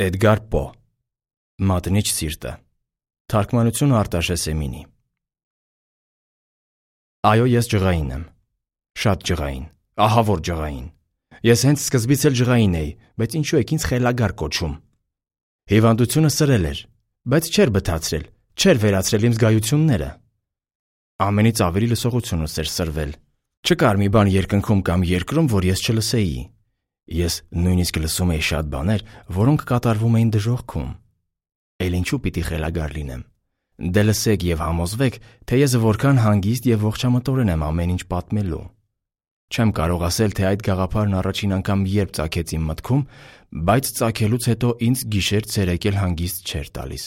Էդգար Պո Մատնիչ սիրտը Թարգմանություն Արտաշես Էմինի Այո, ես ջղային եմ, շատ ջղային, ահավոր ջղային։ Ես հենց սկզբից էլ ջղային էի, բայց ինչու եք ինձ խելագար կոչում։ Հիվանդությունը սրել էր, բայց չէր բթացրել, չէր վերացրել իմ զգայությունները։ Ամենից ավելի լսողությունս էր սրվել։ Չկար մի բան երկնքում կամ երկրում, որ ես չլսեի։ Ես նույնիսկ լսում էի շատ բաներ, որոնք կատարվում էին դժոխքում։ Էլ ինչու պիտի խելագար լինեմ։ Դե լսեք և համոզվեք, թե ես որքան հանգիստ և ողջամտորեն եմ ամեն ինչ պատմելու։ Չեմ կարող ասել, թե այդ գաղափարն առաջին անգամ երբ ծագեց իմ մտքում, բայց ծագելուց հետո ինձ գիշեր-ցերեկ էլ հանգիստ չէր տալիս։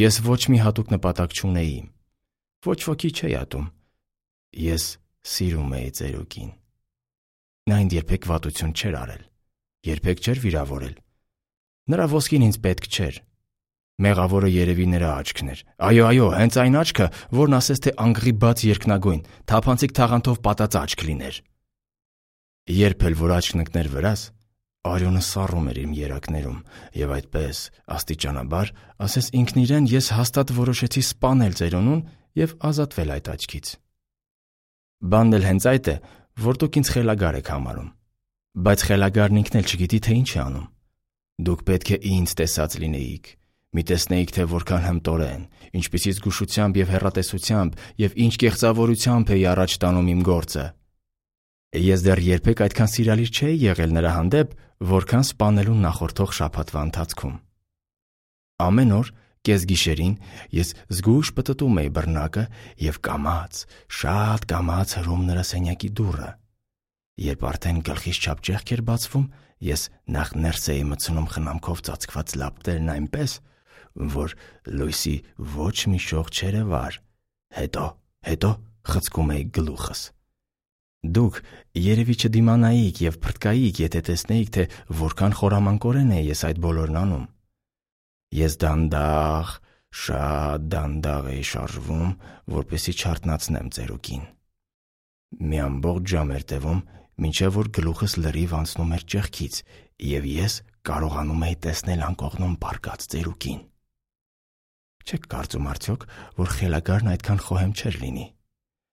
Ես ոչ մի հատուկ նպատակ չունեի։ Ոչ ոքի չէի ատում։ Ես սիրում էի ծերուկին։ Նա ինձ երբեք վատություն չէր արել, երբեք չէր վիրավորել։ Նրա ոսկին ինձ պետք չէր։ Մեղավորը երևի նրա աչքն էր։ Այո, հենց այն աչքը, որն ասես թե անգղի բաց երկնագույն, թափանցիկ թաղանթով պատած աչք լիներ։ Երբ էլ որ աչքն ընկներ վրաս, արյունը սառում էր իմ երակներում, և այդպես, աստիճանաբար, ասես ինքն իրեն ես հաստատ որոշեցի սպանել ծերունուն և ազատվել այդ աչքից։ Բանն էլ հենց այդ է, որ դուք ինձ խելագար եք համարում, բայց խելագարն ինքն էլ չգիտի, թե ինչ է անում։ Դուք պետք է ինձ տեսած լինեիք, մի տեսնեիք, թե որքան հմտորեն, ինչպիսի զգուշությամբ և հեռատեսությամբ և ինչ կեղծավորությամբ էի առաջ տանում իմ գործը։ Ես դեռ երբեք այդքան սիրալիր չէի եղել նրա հանդեպ, որքան սպանելուն նախորդող շաբաթվա ընթացքում։ Ամեն օր կեսգիշերին ես զգույշ պտտում էի բռնակը և կամաց, շատ կամաց հրում նրա սենյակի դուռը։ Երբ արդեն գլխիս չափ ճեղք էր բացվում, ես նախ ներս էի մտցնում խնամքով ծածկված լապտերն այնպես, որ լույսի ոչ մի շող չերևար, հետո խցկում էի գլուխս։ Դուք երևի չդիմանայիք և փրկայիք, եթե տեսնեիք, թե որքան խորամանկորեն էի ես այդ բոլորն անում։ Ես դանդաղ, շատ դանդաղ էի շարժվում, որպեսզի չարթնացնեմ ծերուկին։ Մի ամբողջ ժամ էր տևում, մինչև որ գլուխս լրիվ անցնում էր ճեղքից, և ես կարողանում էի տեսնել անկողնում պառկած ծերուկին։ Չեք կարծում արդյոք, որ խելագարն այդքան խոհեմ չէր լինի։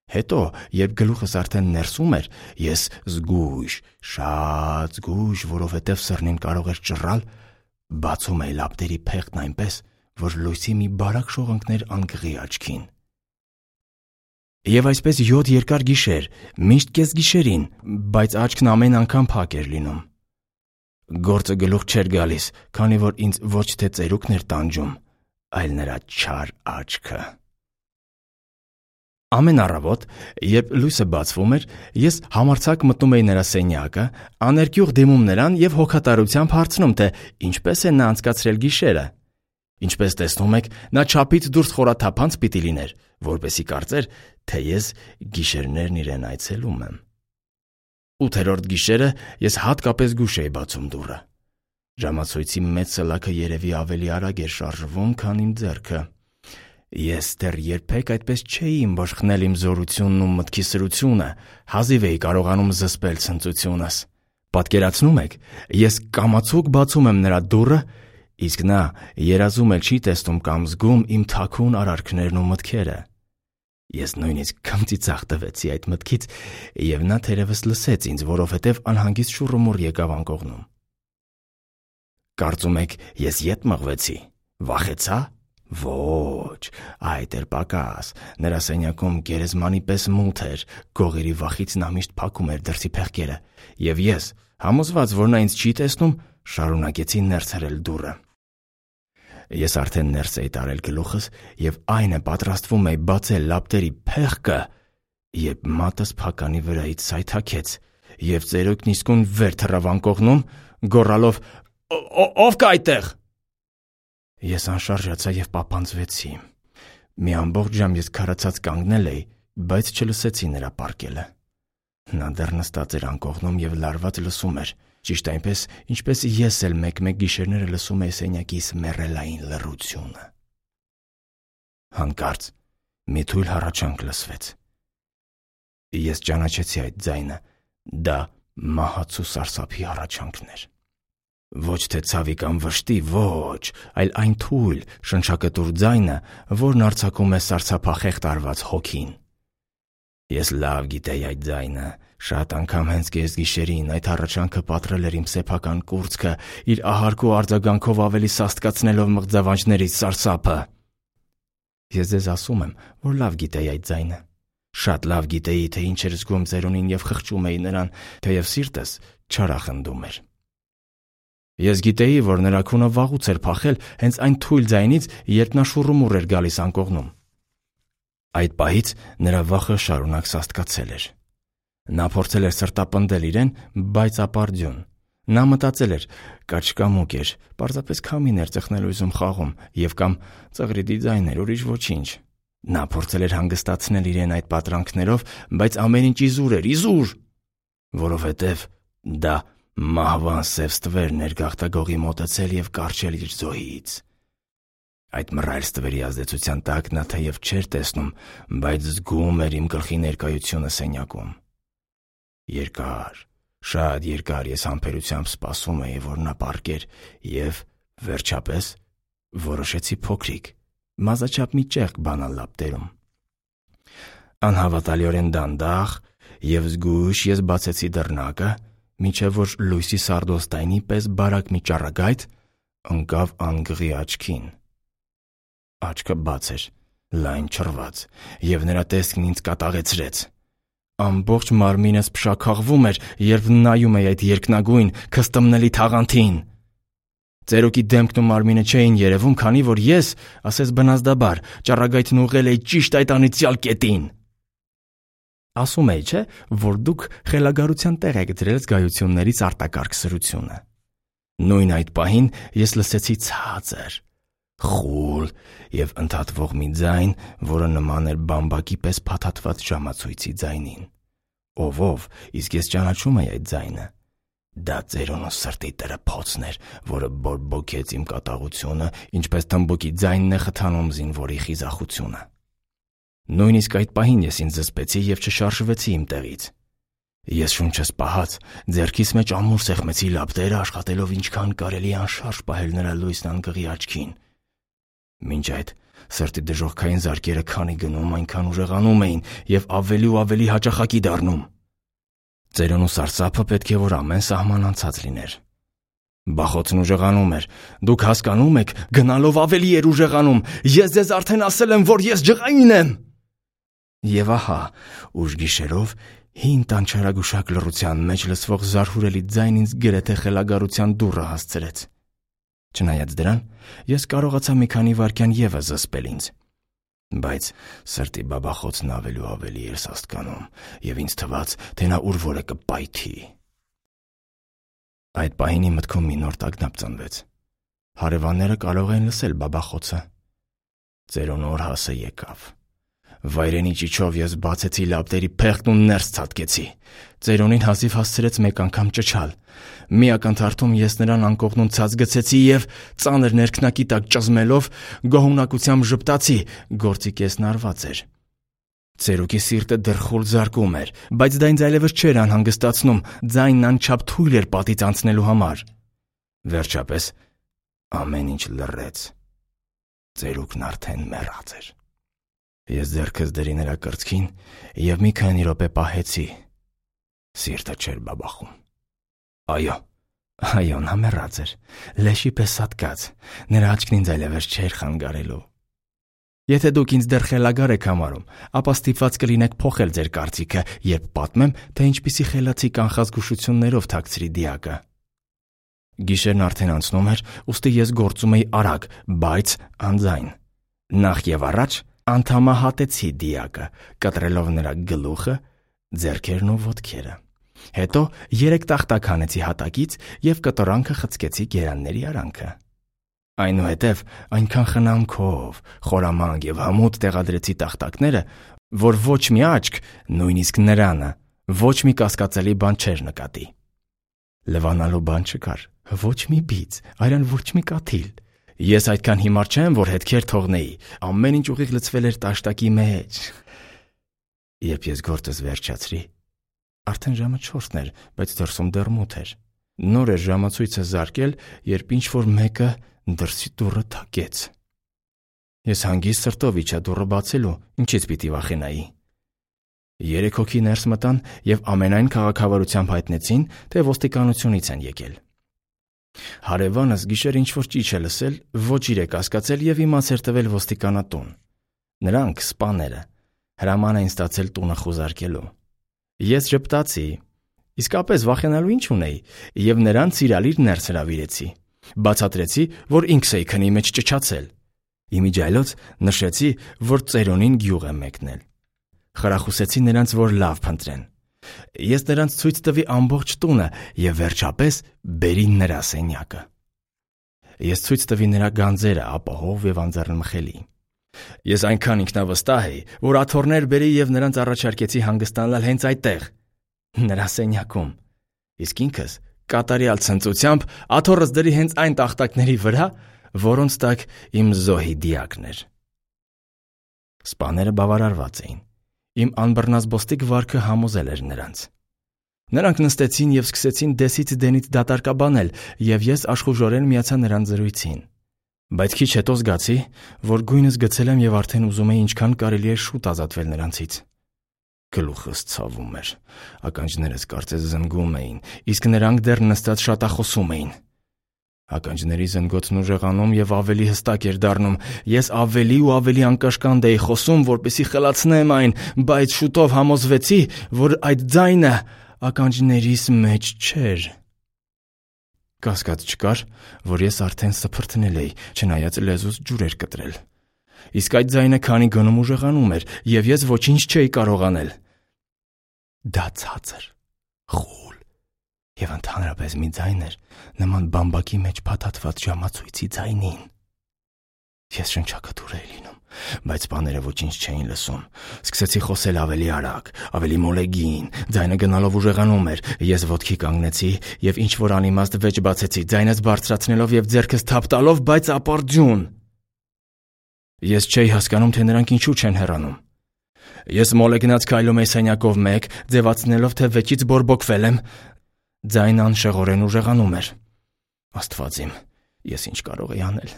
Հետո, երբ գլուխս արդեն ներսում էր, ես զգույշ, շատ զգույշ, որովհետև սրնին կարող էր ճռալ, բացում էի լապտերի փեղկն այնպես, որ լույսի մի բարակ շող ընկներ անկղի աչքին։ Եվ այսպես 7 երկար գիշեր, միշտ կեսգիշերին, բայց աչքն ամեն անգամ փակ էր լինում։ Գործը գլուխ չէր գալիս, քանի որ ինձ ոչ թե ծերուկն էր տանջում, այլ նրա չար աչքը։ Ամեն առավոտ, երբ լույսը բացվում էր, ես համարձակ մտնում էի նրա սենյակը, աներկյուղ դիմում նրան և հոգատարությամբ հարցնում, թե ինչպես է նա անցկացրել գիշերը։ Ինչպես տեսնում եք, նա չափից դուրս խորաթափանց պիտի լիներ, որպեսզի կարծեր, թե ես գիշերներն իրեն այցելում եմ։ 8-րդ գիշերը ես հատկապես զգույշ էի բացում դուռը։ Ժամացույցի մեծ սլաքը երևի ավելի արագ էր շարժվում, քան իմ ձեռքը։ Ես դեռ երբեք այդպես չէի ըմբոշխնել իմ զորությունն ու մտքի սրությունը, հազիվ էի կարողանում զսպել ցնծությունս։ Պատկերացնում եք, ես կամացուկ բացում եմ նրա դուռը, իսկ նա երազում էլ չի տեսնում կամ զգում իմ թաքուն արարքներն ու մտքերը։ Ես նույնիսկ քմծիծաղ տվեցի այդ մտքից, և նա թերևս լսեց ինձ, որովհետև անհանգիստ շուռումուռ եկավ անկողնում։ Կարծում եք, ես ետ մղվեցի, վախեցա։ Ոչ, այդ էր պակաս։ Նրա սենյակում գերեզմանի պես մութ էր, գողերի վախից նա միշտ փակում էր դրսի փեղկերը, և ես, համոզված, որ նա ինձ չի տեսնում, շարունակեցի ներս հրել դուռը։ Ես արդեն ներս էի տարել գլուխս և այնը պատրաստվում էի բացել լապտերի փեղկը, երբ մատս փականի վրայից սայթաքեց, և ծերուկն իսկույն վեր թռավ անկողնում, գոռալով. «Ով կա այդտեղ»։ Ես անշարժացա և պապանձվեցի։ Մի ամբողջ ժամ ես քարացած կանգնել էի, բայց չլսեցի նրա պառկելը։ Նա դեռ նստած էր անկողնում և լարված լսում էր, ճիշտ այնպես, ինչպես ես էլ մեկ-մեկ գիշերները լսում էի սենյակիս մեռելային լռությունը։ Հանկարծ մի թույլ հառաչանք լսվեց։ Ես ճանաչեցի այդ ձայնը, դա մահացու սարսափի հառաչանքն էր։ Ոչ թե ցավի կամ վշտի, ոչ, այլ այն թույլ, շնչակտուր ձայնը, որն արձակում է սարսափախեղտ արված հոգին։ Ես լավ գիտեի այդ ձայնը, շատ անգամ հենց կեսգիշերին այդ առաջանքը պատռել էր իմ սեփական կուրծքը, իր ահարկու արձագանքով ավելի սաստկացնելով մղձավանջներից սարսափը։ Ես ձեզ ասում եմ, որ լավ գիտեի այդ ձայնը։ Շատ լավ գիտեի, թե ինչ էր զգում ծերունին և խղճում էի նրան, թեև սիրտս չարախնդում էր։ Ես գիտեի, որ նրա քունը վաղուց էր փախել հենց այն թույլ ձայնից, երբ նա շուռումուռ էր գալիս անկողնում։ Այդ պահից նրա վախը շարունակ սաստկացել էր։ Նա փորձել էր սրտապնդել իրեն, բայց ապարդյուն։ Նա մտածել էր, կաչկամուկ էր, պարզապես քամին էր ծխնելույզում խաղում և կամ ծղրիդի ձայն էր, ուրիշ ոչինչ։ Նա փորձել էր հանգստացնել իրեն այդ պատրանքներով, բայց ամեն ինչ իզուր էր, իզուր, որովհետև դա մահվան սև ստվերն էր գաղտագողի մոտեցել և կառչել իր զոհից։ Այդ մռայլ ստվերի ազդեցության տակ նա թեև չէր տեսնում, բայց զգում էր իմ գլխի ներկայությունը սենյակում։ Երկար, շատ երկար ես համբերությամբ սպասում էի, որ նա պառկեր և, վերջապես, որոշեցի փոքրիկ, մազաչափ մի ճեղք բանալ լապտերում։ Անհավատալիորեն դանդաղ և զգույշ ես բացեցի դռնակը, մինչև որ լույսի սարդոստայնի պես բարակ մի ճառագայթ ընկավ անգղի աչքին։ Աչքը բաց էր, լայն չռված, և նրա տեսքն ինձ կատաղեցրեց։ Ամբողջ մարմինս փշաքաղվում էր, երբ նայում էի այդ երկնագույն, քստմնելի թաղանթին։ Ծերուկի դեմքն ու մարմինը չէին երևում, քանի որ ես, ասես բնազդաբար, ճառագայթն ուղղել էի ճիշտ այդ անիծյալ կետին։ Ասում էի, չէ՞, որ դուք խելագարության տեղ եք դրել զգայություններից արտակարգ սրությունը։ Նույն այդ պահին ես լսեցի ցածր, խուլ և ընդհատվող մի ձայն, որը նման էր բամբակի պես փաթաթված ժամացույցի ձայնին։ Ով, իսկ ես ճանաչում էի այդ ձայնը։ Դա ծերունու սրտի տրփոցն էր, որը բորբոքեց իմ կատաղությունը, ինչպես թմբուկի ձայնն է խթանում զինվորի խիզախությունը։ Նույնիսկ այդ պահին ես ինձ զսպեցի և չշարժվեցի իմ տեղից։ Ես շունչս պահած, ձեռքիս մեջ ամուր սեղմեցի լապտերը, աշխատելով ինչքան կարելի անշարժ պահել նրա լույսն անգղի աչքին։ Մինչ այդ սրտի դժոխքային զարկերը քանի գնում, այնքան ուժեղանում էին և ավելի ու ավելի հաճախակի դառնում։ Ծերունու սարսափը պետք է որ ամեն սահման անցած լիներ։ Բախոցն ուժեղանում էր։ Դուք հասկանում եք, գնալով ավելի էր ուժեղանում։ Ես ձեզ արդեն ասել եմ, որ ես ջղային եմ։ Եվ ահա, ուշ գիշերով հին տանչարագուշակ լռության մեջ լսվող զարհուրելի ձայն ինձ գրեթե խելագարության դուռը հասցրեց։ Չնայած դրան, ես կարողացա մի քանի վայրկյան ևս զսպել ինձ, բայց սրտի բաբախոցն ավելի ու ավելի էր սաստկանում, և ինձ թվաց, թե նա ուր որ է կպայթի։ Այդ պահին իմ մտքում մի նոր տագնապ ծնվեց։ Հարևանները կարող էին լսել բաբախոցը։ Ծերունու օրհասը եկավ։ Վայրենի ճիչով ես բացեցի լապտերի փեղկն ու ներս ցատկեցի։ Ծերունին հազիվ հասցրեց մեկ անգամ ճչալ։ Մի ակնթարթում ես նրան անկողնում ցած գցեցի և, ծանր ներքնակի տակ ճզմելով, գոհունակությամբ ժպտացի, գործի կեսն արված էր։ Ծերուկի սիրտը դեռ խուլ զարկում էր, բայց դա ինձ այլևս չէր անհանգստացնում, ձայնն անչափ թույլ էր պատից անցնելու համար։ Վերջապես ամեն ինչ լռեց։ Ծերուկն արդեն մեռած էր։ Ես ձեռքս դրի նրա կրծքին և մի քանի րոպե պահեցի։ Սիրտը չէր բաբախում։ Այո, նա մեռած էր, լեշի պես սատկած, նրա աչքն ինձ այլևս չէր խանգարելու։ Եթե դուք ինձ դեռ խելագար եք համարում, ապա ստիպված կլինեք փոխել ձեր կարծիքը, երբ պատմեմ, թե ինչպիսի խելացի կանխազգուշություններով թաքցրի դիակը։ Գիշերն արդեն անցնում էր, ուստի ես գործում էի արագ, բայց անձայն։ Նախ և առաջ անդամահատեցի դիակը, կտրելով նրա գլուխը, ձեռքերն ու ոտքերը։ Հետո 3 տախտակ հանեցի հատակից և կտորանքը խցկեցի գերանների արանքը։ Այնուհետև այնքան խնամքով, խորամանկ և հմուտ տեղադրեցի տախտակները, որ ոչ մի աչք, նույնիսկ նրանը, ոչ մի կասկածելի բան չէր նկատի։ Լվանալու բան չկար, ոչ մի բիծ, այրան ոչ մի կաթիլ։ Ես այդքան հիմար չեմ, որ հետքեր թողնեի, ամեն ինչ ուղիղ լցվել էր տաշտակի մեջ։ Երբ ես գործս վերջացրի, արդեն ժամը 4-ն էր, բայց դրսում դեռ մութ էր։ Նոր էր ժամացույցը զարկել, երբ ինչ-որ մեկը դրսի դուռը թակեց։ Ես հանգիստ սրտով իջա դուռը բացելու, ինչից պիտի վախենայի։ 3 հոգի ներս մտան և ամենայն քաղաքավարությամբ հայտնեցին, թե ոստիկանությունից են եկել։ Հարևանս գիշեր ինչ-որ ճիչ է լսել, ոչ իրեք հասկացել և իմաց էր տվել ոստիկանատուն։ Նրանք, սպաները, հրաման էին ստացել տունը խուզարկելու։ Ես ժպտացի, իսկապես վախենալու ինչ ունեի, և նրան սիրալիր ներս հրավիրեցի։ Բացատրեցի, որ ինքս էի քնի մեջ ճչացել։ Իմիջիայլոց նշեցի, որ ծերունին գյուղ եմ մեկնել։ Խրախուսեցի նրանց, որ լավ փնտրեն։ Ես նրանց ցույց տվի ամբողջ տունը և վերջապես բերի նրա սենյակը։ Ես ցույց տվի նրա գանձերը ապահով և անձեռնմխելի։ Ես այնքան ինքնավստահ էի, որ աթոռներ բերի և նրանց առաջարկեցի հանգստանալ հենց այդտեղ, նրա սենյակում, իսկ ինքս կատարյալ ցնծությամբ աթոռս դրի հենց այն տախտակների վրա, որոնց տակ իմ զոհի դիակն էր։ Սպաները բավարարված էին։ Իմ անբռնազբոստիկ վարքը համոզել էր նրանց։ Նրանք նստեցին և սկսեցին դեսից դենից դատարկաբանել, և ես աշխուժորեն միացա նրանց զրույցին։ Բայց քիչ հետո զգացի, որ գույնս գցել եմ և արդեն ուզում էի ինչքան կարելի է շուտ ազատվել նրանցից։ Գլուխս ցավում էր, ականջներս կարծես զնգում էին, իսկ նրանք դեռ նստած շատախոսում էին։ Ականջների զնգոցն ուժեղանում և ավելի հստակ էր դառնում։ Ես ավելի ու ավելի անկաշկանդ էի խոսում, որպեսզի խլացնեմ այն, բայց շուտով համոզվեցի, որ այդ ձայնը ականջներիս մեջ չէր։ Կասկած չկար, որ ես արդեն սփռթնել էի, չնայած լեզուս ջուր էր կտրել։ Իսկ այդ ձայնը քանի գնում ուժեղանում էր, և ես ոչինչ չէի կարող անել։ Դա ցածր, խուլ և ընդհանրապես մի ձայն էր, նման բամբակի մեջ փաթաթված ժամացույցի ձայնին։ Ես շնչակտուր էի լինում, բայց սպաները ոչինչ չէին լսում։ Սկսեցի խոսել ավելի արագ, ավելի մոլեգին, ձայնը գնալով ուժեղանում էր։ Ես ոտքի կանգնեցի և ինչ-որ անիմաստ վեճ բացեցի, ձայնս բարձրացնելով և ձեռքս թափ տալով, բայց ապարդյուն։ Ես չէի հասկանում, թե նրանք ինչու չեն հեռանում։ Ես մոլեգնած քայլում էի սենյակով մեկ, ձևացնելով, թե վեճից բորբոքվել եմ։ Ձայնը անշեղորեն ուժեղանում էր։ Աստված իմ, ես ինչ կարող էի անել։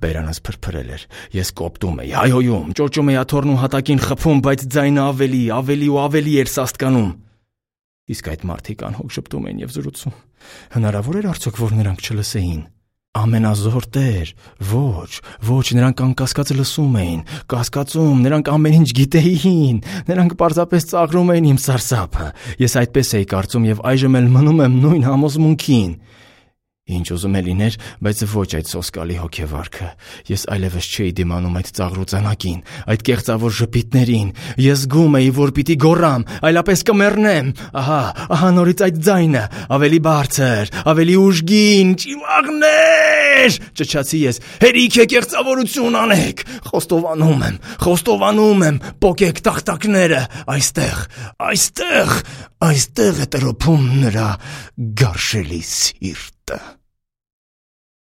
Բերանս փրփրել էր։ Ես կոպտում էի, հայհոյում, ճոճում էի աթոռն ու հատակին խփում, բայց ձայնը ավելի ու ավելի էր սաստկանում։ Իսկ այդ մարդիկ անհոգ շփտում էին և զրուցում։ Հնարավոր էր արդյոք, որ նրանք չլսեին։ Ամենազոր Տեր, ոչ, նրանք անկասկած լսում էին, կասկածում, նրանք ամեն ինչ գիտեին, նրանք պարզապես ծաղրում էին իմ սարսափը։ Ես այդպես էի կարծում և այժմ էլ մնում եմ նույն համոզմունքին։ Ինչ ուզում է լիներ, բայց ոչ այդ սոսկալի հոգեվարքը։ Ես այլևս չէի դիմանում այդ ծաղրուծանակին, այդ կեղծավոր ժպիտներին։ Ես զգում էի, որ պիտի գոռամ, այլապես կմեռնեմ։ Ահա նորից այդ ձայնը, ավելի բարձր, ավելի ուժգին, ճիվաղներ, ճչացի ես։ Հերիք է կեղծավորություն անեք։ Խոստովանում եմ, պոկեք տախտակները, այստեղ է տրոփում նրա գարշելի սիրտը։